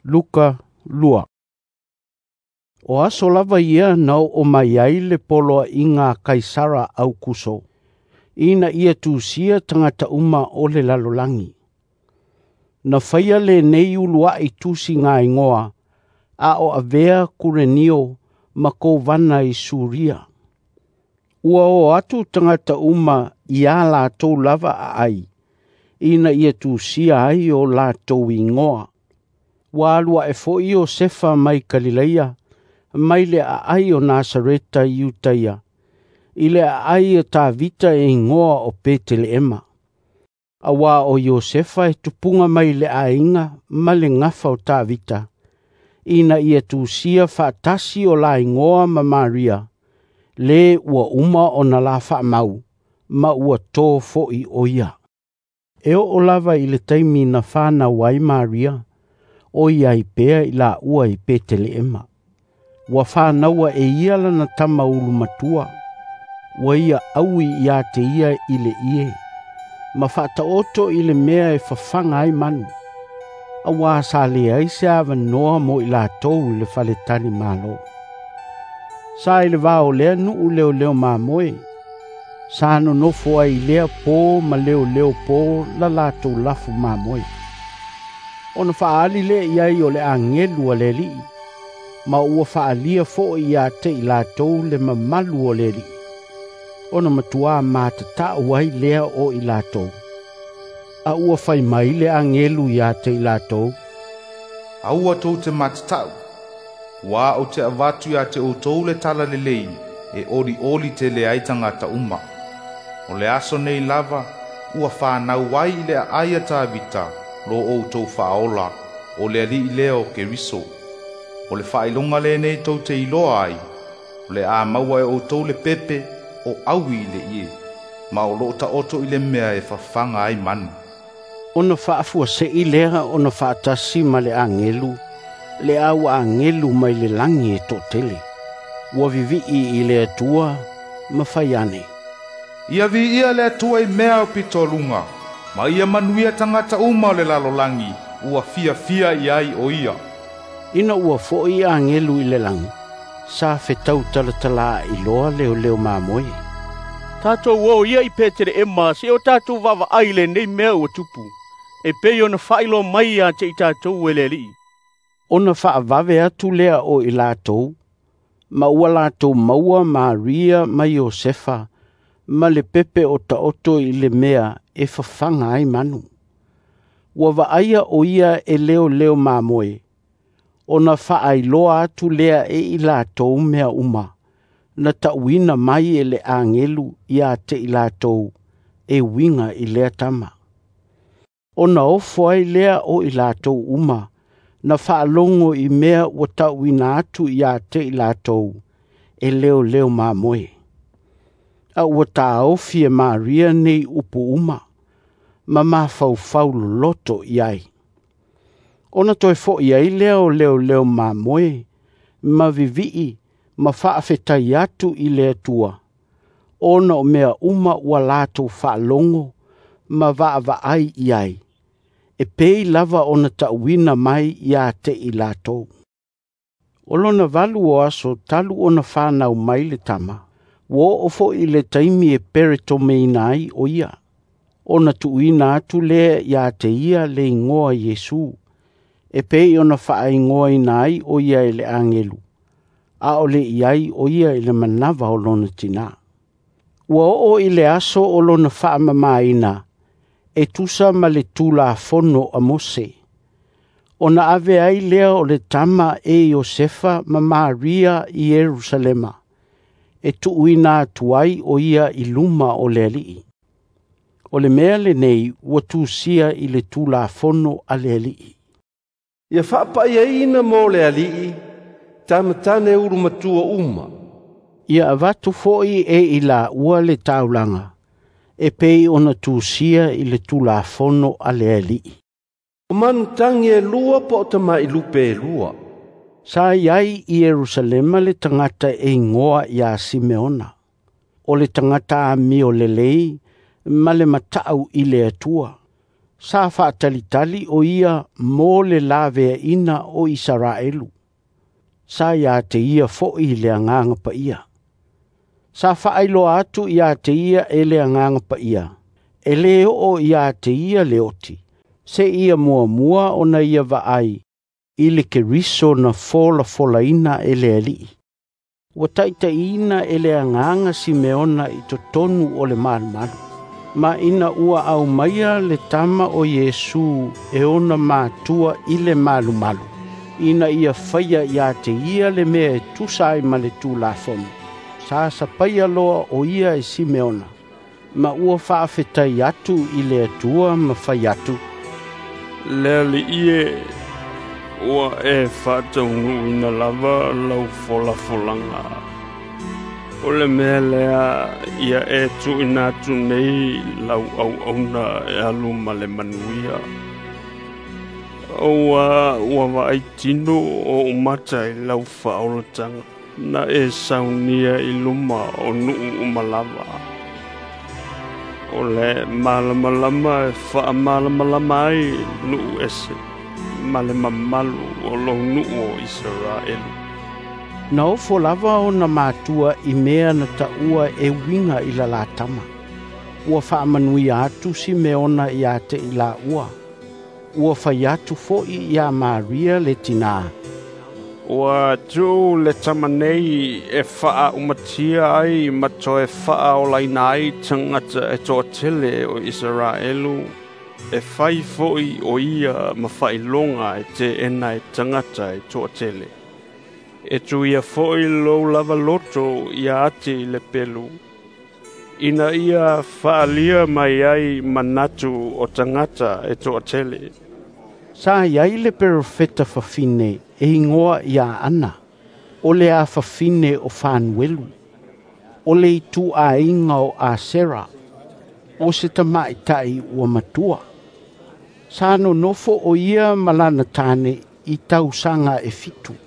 Luka 2. O aso lava ia na oo mai ai le poloaiga a Kaisara Aukuso, ina ia tusia tagata uma o le lalolagi. Na faia lenei uluai tusigaigoa a o avea Kurenio ma kovana i Suria. Ua o atu tagata uma ia latou lava aai, ina ia tusia ai o latou igoa. Ua alu ae foi Iosefa mai Kalileia, mai le aai o Nasareta i Iutaia, i le aai a Tavita e igoa o Peteleema. Auā o Iosefa e tupuga mai le aiga ma le gafa o Tavita, ina ia tusia faatasi o la igoa ma Maria, le ua uma ona la faamau, ma ua tō foi o ia. E oo lava i le taimi na fanau ai Maria, o i ai pea i laua i Peteleema. Ua fanaua e ia lana tama ulumatua, ua ia aui ia te ia i le ie, ma faataoto i le mea e fafaga ai manu, auā sa leai se avanoa mo i latou i le faletalimalo. Sa i le va o lea nuu leoleo mamoe, sa nonofo ai i lea pō ma leoleo pō la latou lafu mamoe. Ona faaali lea i ai o le agelu a le Alii, ma ua faalia foi ia te i latou le mamalu o le Alii, ona matuā matatau ai lea o i latou. A ua fai mai le agelu ia te i latou, "Aua tou te matatau, ua ou te avatu ia te outou le tala lelei e olioli tele ai tagata uma. O le aso nei lava ua fanau ai i le aai a Tavita lo outou faaola, o le Alii lea o Keriso. O le faailoga lenei tou te iloa ai, o le a maua e outou le pepe o aui i le ie, ma o loo taoto i le mea e fafaga ai manu." Ona faafuasei lea ona faatasi ma le agelu, le au agelu mai le lagi e toatele. Ua vivii i le Atua ma fai ane, "Ia viia le Atua i mea o pitoluga, ma ia manuia tagata uma o le lalolagi ua fiafia i ai o ia." Ina ua foi agelu i le lagi, sa fetau talatala iloa leoleo mamoe. "Tatou o ia i Peteleema se o tatou vaavaai i lenei mea ua tupu, e pei ona faailoa mai ia te i tatou e le Alii." Ona faavave atu lea o i latou, ma ua latou maua Maria ma Iosefa ma le pepe o taoto i le mea e fafaga ai manu. Ua vaaia o ia e leoleo mamoe, ona faailoa atu lea e i latou mea uma, na tauina mai e le agelu ia te i latou e uiga i lea tama. Ona ofo ai lea o i latou uma, na faalogo i mea ua tauina atu ia te i latou e leoleo mamoe. A ua taofi e Maria nei upu uma, ma mafaufau loloto i ai. Ona toe foi ai lea o leoleo mamoe, ma vivii ma faafetai atu i le Atua, ona o mea uma ua latou faalogo ma vaavaai i ai, e pei lava ona tauina mai ia te i latou. O lona 8 o aso talu ona fanau mai le tama, ua oo foi i le taimi e peretomeina ai o ia, ona tuuina atu lea ia te ia le igoa Iesu, e pei ona faaigoaina ai o ia e le agelu, a o le i ai o ia i le manava o lona tinā. Ua oo i le aso o lona faamamaina, e tusa ma le Tulafono a Mose, ona ave ai lea o le tama e Iosefa ma Maria i Ierusalema, e tuuina atu ai o ia i luma o le Alii. O le mea lenei ua tusia i le Tulafono a le Alii. "Ia faapaiaina mo le Alii, tama tane ulumatua uma." Ia avatu foi e i laua le taulaga, e pei ona tusia i le Tulafono a le Alii. "O manu tagi e 2 po o tamai lupe e 2. Sa i ai i Ierusalema le tagata e igoa ia Simeona, o le tagata amio lelei ma le matau i le Atua. Sa faatalitali o ia mo le laveaina o Isaraelu. Sa ia te ia fo'i le agaga paia. Sa faailoa atu ia te ia e le agaga paia, e lē oo ia te ia le oti, seia muamua ona ia vaai i le Keriso na folafolaina e le Alii. Ua taitaiina e le agaga Simeona i totonu o le malumalu. Ma ina ua aumaia le tama o Iesu e ona matua i le malumalu, ina ia faia ia te ia le mea e tusa ai ma le Tulafono, sa sapaia loa o ia e Simeona, ma ua faafetai atu i le Atua ma fai atu, Le Alii e, ua e faataunuuina lava lau folafolaga. O le mea lea ia e tuuina atu nei lau auauna e alu ma le manuia. Aua ua vaai tino o umata i lau faaolataga na e saunia i luma o nuu uma lava. O le malamalama e faamalamalama ai nuu ese ma le mamalu o lou nuu o Isaraelu. Na ofo lava ona matua i mea na taua e uiga i la tama. Ua faamanuia atu Simeona ia te i laua. Ua fai atu fo'i ia Maria le tinā. Ua tuu le tama nei e faaumatia ai ma toe faaolaina ai tagata e toatele o Isaraelu, e fai fo'i o ia ma faailoga e teena e tagata e toatele. E tuia fo'i lou lava loto ia ati i le pelu, ina ia faalia mai ai manatu o tagata e toatele. Sa iai le perofeta fafine e igoa ia Ana, o le afafine o Fanuelu, o le ituaiga o Asera, o se tamaʻitai ua matua. Sa nonofo o ia ma lana tane i tausaga e 7.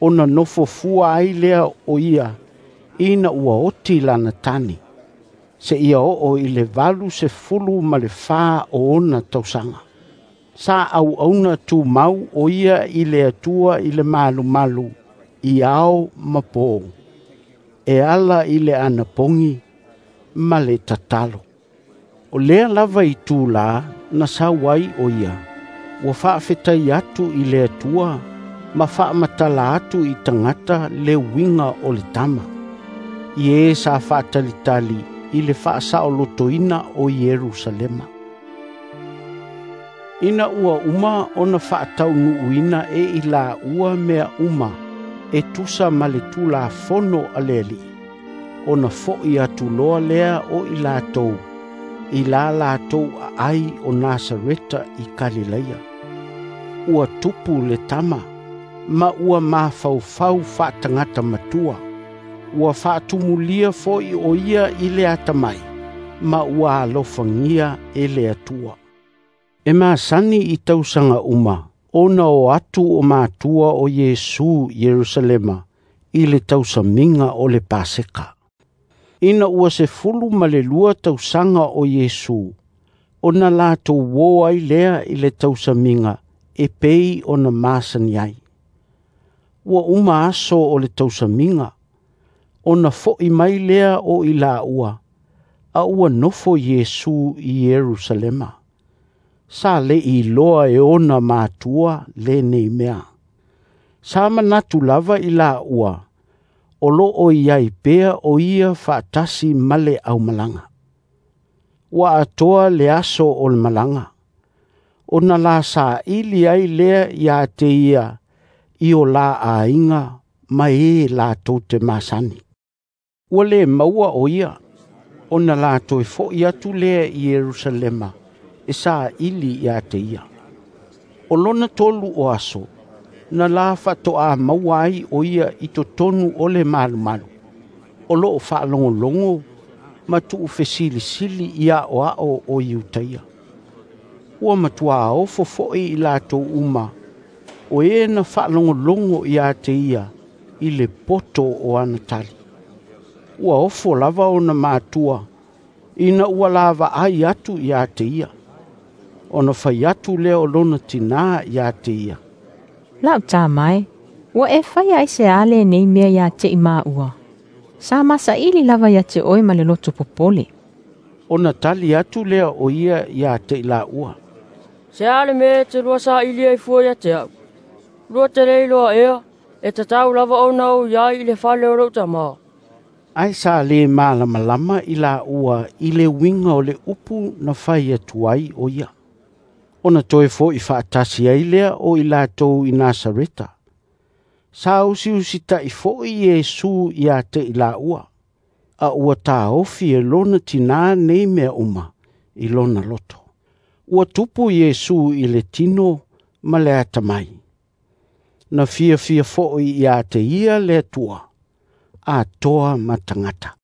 Ona nofo fua ai lea o ia ina ua oti lana tane, seia oo i le 84 o ona tausaga. Sa auauna tumau o ia i le Atua i le malumalu i ao ma po, e ala i le anapogi ma le tatalo. O lea lava i tula na sau ai o ia, ua faafetai atu i le Atua ma faamatala atu i tagata le uiga o le tama, i e sa faatalitali i le faasaolotoina o Ierusalema. Ina ua uma ona faataunuuina e i laua mea uma e tusa ma le Tulafono a le Alii, ona fo'i atu loa lea o i latou i la latou aai o Nasareta i Kalilaia. Ua tupu le tama, ma ua mafaufau faatagata matua. Ua faatumulia fo'i o ia i le atamai, ma ua alofagia e le Atua. E masani i tausaga uma, ona o atu o matua o Iesu Ierusalema i le tausamiga o le Paseka. Ina ua 12 tausaga o Iesu, ona latou o ai lea i le tausamiga e pei ona masani ai. Ua uma aso o le tausamiga, ona fo'i mai lea o i laua, a ua nofo Iesu i Ierusalema. Sa le iloa e ona matua lenei mea. Sa manatu lava i laua, o loo iai pea o ia faatasi ma le aumalaga. Ua atoa le aso o le malaga, ona la saili ai lea ia te ia i o la aiga ma e latou te masani. Ua le maua o ia, ona la toe fo'i atu lea i Ierusalema e saili ia te ia. O lona 3 o aso, na la faatoa maua ai o ia i totonu o le malumalu. O loo faalogologo ma tuufesilisili i aoao o Iutaia. Ua matuā ofo fo'i i latou uma, o e na faalogologo ia te ia i le poto o ana tali. Ua ofo lava ona matua, ina ua lavaai atu ia te ia. Ona fai atu lea o lona tinā ia te ia, "La'u tama e, ua e faia aiseā lenei mea ia te i māua? Sa masaʻili lava ia te oe ma le loto popole." Ona tali atu lea o ia ia te i laua, "Se a le mea e te lua saili ai fua ia te au? Lua te le iloa ea, e tatau lava ona ou i ai i le fale o lou Tamā?" Ae sa lē malamalama i laua i le uiga o le upu na fai atu ai o ia. Ona toe fo'i faatasi ai lea o i latou i Nasareta. Sa usiusita'i fo'i Iesu ia te i laua, a ua taofi e lona tinā nei mea uma i lona loto. Ua tupu Iesu i le tino ma le atamai. Na fiafia fo'i ia te ia le Atua, atoa ma tagata.